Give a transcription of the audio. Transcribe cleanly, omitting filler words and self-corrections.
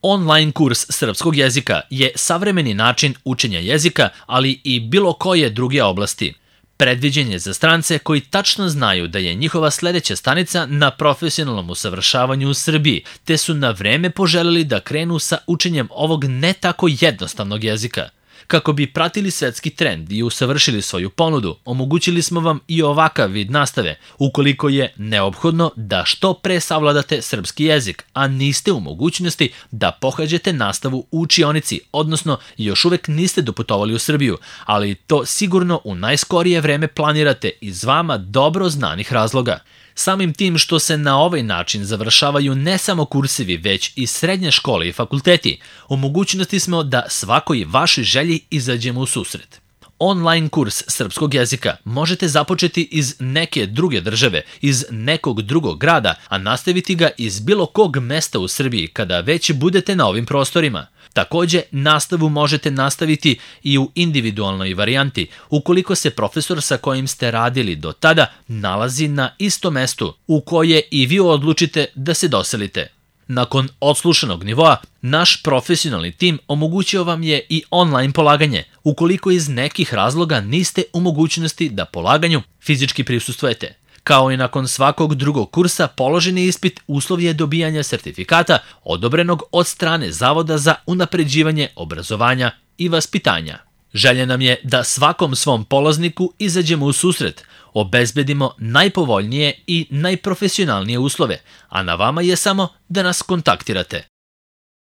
Online kurs srpskog jezika je savremeni način učenja jezika, ali i bilo koje druge oblasti. Predviđen je za strance koji tačno znaju da je njihova sledeća stanica na profesionalnom usavršavanju u Srbiji, te su na vreme poželeli da krenu sa učenjem ovog ne tako jednostavnog jezika. Kako bi pratili svetski trend i usavršili svoju ponudu, omogućili smo vam i ovakav vid nastave, ukoliko je neophodno da što pre savladate srpski jezik, a niste u mogućnosti da pohađate nastavu u učionici, odnosno još uvek niste doputovali u Srbiju, ali to sigurno u najskorije vreme planirate iz vama dobro znanih razloga. Samim tim što se na ovaj način završavaju ne samo kursevi, već i srednje škole i fakulteti, u mogućnosti smo da svakoj vašoj želji izađemo u susret. Online kurs srpskog jezika možete započeti iz neke druge države, iz nekog drugog grada, a nastaviti ga iz bilo kog mesta u Srbiji kada već budete na ovim prostorima. Takođe, nastavu možete nastaviti i u individualnoj varijanti, ukoliko se profesor sa kojim ste radili do tada nalazi na istom mestu u koje i vi odlučite da se doselite. Nakon odslušanog nivoa, naš profesionalni tim omogućio vam je i online polaganje, ukoliko iz nekih razloga niste u mogućnosti da polaganju fizički prisustvujete. Kao i nakon svakog drugog kursa, položeni ispit uslov je dobijanja sertifikata odobrenog od strane Zavoda za unapređivanje obrazovanja i vaspitanja. Želja nam je da svakom svom polazniku izađemo u susret, obezbedimo najpovoljnije i najprofesionalnije uslove, a na vama je samo da nas kontaktirate.